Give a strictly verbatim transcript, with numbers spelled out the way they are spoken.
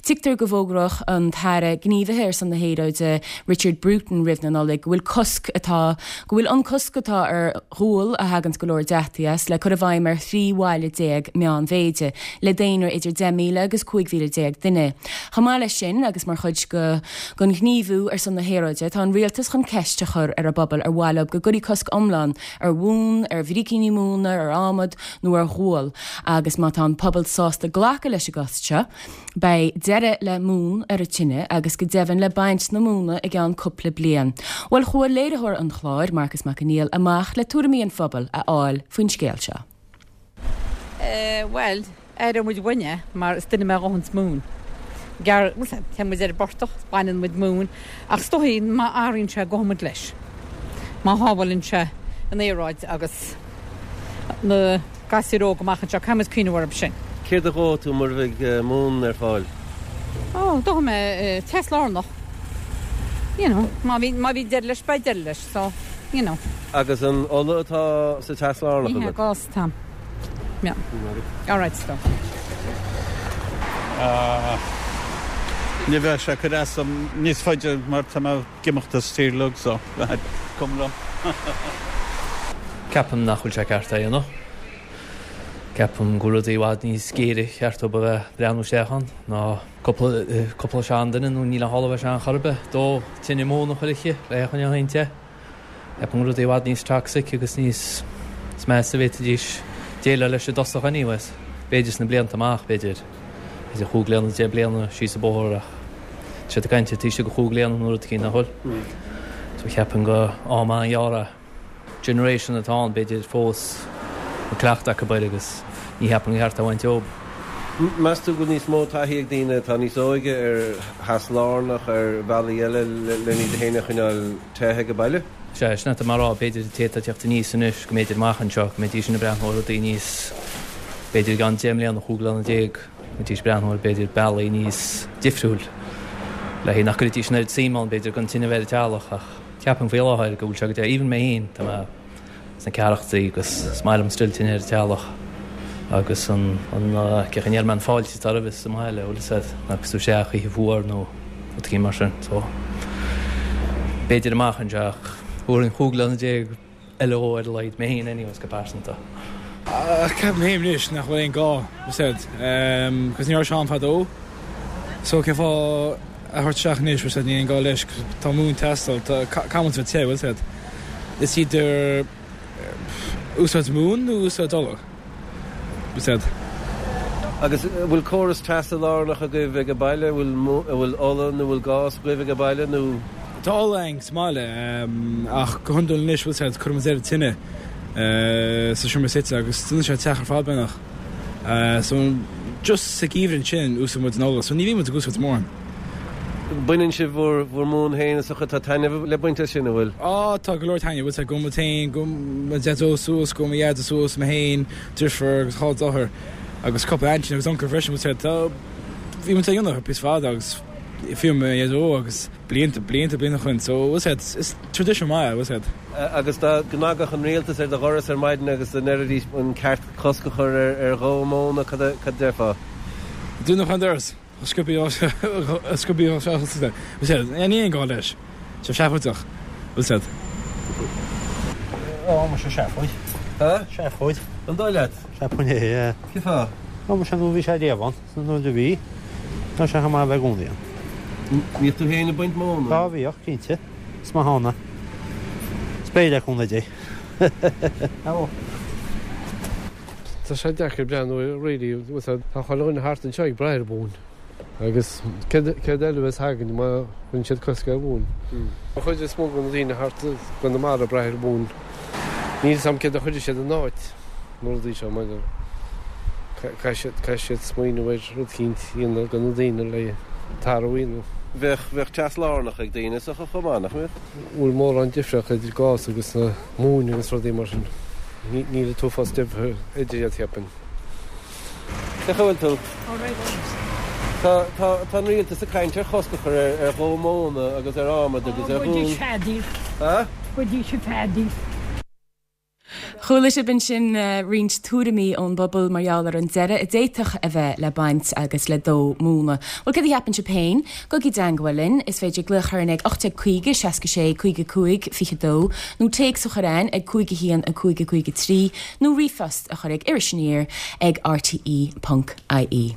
Tuigtear go bhfógróidh an tAire Gníomhaithe ar son na hAeráide Richard Bruton roimh na Nollag go bhfuil cosc atá go bhfuil an cosc atá ar ghual a thagann go leor deataigh as le cur i bhfeidhm ar thrí bhaile déag meánmhéide le daonra idir deich míle agus cúig mhíle déag duine. Chomh maith leis sin agus mar chuid go den ghníomhú ar son na haeráide tá an rialtas chun ceist a chur ar an bpobal ar mhaith leo go gcuirfí cosc iomlán ar mhún, ar bhricíní móna, ar adhmad nó ar ghual agus má tá an pobal sásta glacadh leis an gcosc seo, beidh deireadh le mún ar an tine agus go deimhin le baint na móna i gceann cúpla bliain. Bhuel chuaigh léiritheoir an chláir Marcus Mac Conghail amach le tuairimí an phobail a fháil faoin scéal seo. Uh, well, aireoidh muid uainn mar is duine mé a dhóanns móin. Gear Tá muid ar an bportach, baineann muid móin, ach is dóigh má athraíonn sé gabhfaidh muid leis. Má shábhálann sé an aeráid agus na gasúir óga amach anseo caithfidh muid cuimhneamh orthu sin. Céard a dhófá tú mura mbeidh móin ar fáil? Ó, dófaidh mé teas lárnach. You know, má bhí má bhí deireadh leis beidh deireadh leis, so you know. Agus an ola atá sa teas lárnach Ní agat? gás tam. Yeah. All right, stop. Ní bheadh sé cur as níos faide mar tá mé ag imeacht as tír lug so cum liom. Ceapaim nach bhfuil sé ceart é dhéanamh. Ceapaim go rudaí i bhfad níos géire ceart dóibh a bheith breathnú isteach ann ná cúpla seanduine nó níl a thalamh sean chorbe dó tine móna a chur aici le chun te. Ceapaim rudaí i bhfad níos toxic agus níos measa a bhféadfaidís déileáil leis i dtosach anyways. B'fhéidir sna blianta amach b'fhéidir idir chúig bliana deich bliana síos an bóthar ach sé ag caint taobh istigh de chúig bliana nó rud éicint nach bhfuil. So ceapaim go am an-ghearr generation atá ann b'fhéidir fós an cleachtadh acu air agus ní cheapaim gur cheart a bhaint ób. Meas tú go bhfuil níos mó taithí ag daoine atá níos óige ar theas lárnach ar bhealaí eile le iad féin a choinneáil te ag baile? Sé sin mar rá b'fhéidir té atá ag teacht aníos anois go mb'fhéidir amach anseo go mbeidís ag breathnú ar rudaí níos b'fhéidir gan deich mbliana chúig bliana déag mbeidís breathnú ar b'fhéidir bealaí níos difriúil le hé nach gcuirfidís an oiread suim ann b'fhéidir gan tine a bheith ar an teallach ach ceapaim faoi láthair go bhfuil sé go deo even mé féin tá mé sna ceathrachaidí agus is maith liom still tine ar an teallach agus an an cé níl mé an fáilte atá roimhe sa mbaile bhfuil a fhios agat agus tú isteach oíche fuar nó rud éicint mar sin so b'fhéidir amach anseo ach thabharfainn chúig bliana déag eile dhó ar a laghad mé féin anyways go pearsanta. Ceapaim féin anois nach bhfuil aon gá said cos ní raibh sé ann fadó so cén fáth a thabhairt isteach anois said níl aon gá leis tá móin ag teastáil caithfidh muid bheith te bhfuil said is idir úsáid móin nó úsáid ola said. Agus bhfuil córas teasa lárnach agaibh ag baile bhfuil bhfuil ola nó bhfuil gás agaibh ag baile nó Tá ola againn sa mbaile ach go hiondúil anois bhfuil said cuireann muid ar an tine sa seomra suite agus dónn sé an teach ar fad beagnach. So just sa gheimhreadh ansin úsáid muid an ola, so ní bhíonn muid ag úsáid mórán. Baineann sibh bhur bhur móin féin is tá taitneamh le baint as sin an bhfuil? Á tá go leor taitneamh, bhfuil said gabhann muid féin gabhann mo dhaideo suas gabhann mo dheaide suas mé féin deirfiúr agus dhá deartháir agus cúpla aintín agus uncail freisin bhfuil said tá bhí muid á dhéanamh píosa fada agus fiú mo dhaideo agus blianta blianta blianta ó shin so bhfuil said is tradition maith bhfuil said. Agus dá gcnagfadh an rialtas ar do dhoras ar maidin agus dá ndéarfaidís an ceart cosc a chur ar ar dhó móna cad cad déarfá? Dúnadh an doras scubaí scubaí bhfuil said ní aon gá leis sé seafóideach bhfuil said. Ó mar se seafóid. Ha? Seafóid. An dóigh leat? Seafóid é. Cén fáth? Ó mar se nó bhí sé riamh ann nó a bhí Tá sé chomh maith bheith i gcónaí ann. Bhíodh tú féin ag baint móna? Tá bhíodh cinnte. Is maith ann é. Is beidh le cúnamh Dé. Tá sé deacair breathnú really tá chuile dhuine thart anseo ag brath ar mhóin. Agus céard eile a bheas againn má bhíonn siad cosc ar mhóin. An chuid is mó de na daoine thart Conamara ag brath ar mhóin. Níl sam céard a chuirfidh siad in áit na rudaí seo mar caithfidh siad smaoineamh ar rud éicint a dhéanamh do na daoine le athrú a dhéanamh. Bheadh bheadh teas lárnach ag daoine sa chomh maith nach mbeadh? Bhfuil mórán difríocht idir gás agus na móin agus rudaí mar sin. Níl an t-uafás difear idir iad cheapfainn. Cén chaoi a bhfuil tú? Tá tá tá an rialtas ag caint ar chosc a chur ar ar dhó móna agus ar adhmad agus ar Go dtí feadaíl. Ha? Go dtí sé feadaíl. Chuala sibh ansin roinnt tuairimí ón bpobal mar gheall ar an deireadh a d'fhéadfadh a bheith le baint agus le dó móna. Bhuel céard a cheapann sibh féin? Gabhaigí i dteangmháil linn, is féidir glaoch orainn ag ocht déag caoga, seasca sé, caoga cúig, fiche dó, nó téacs a chur chugainn ag cúig a haon, a cúig, a cúig a trí, nó ríomhphost a chur ag Iris Aniar ag rte ponc ie.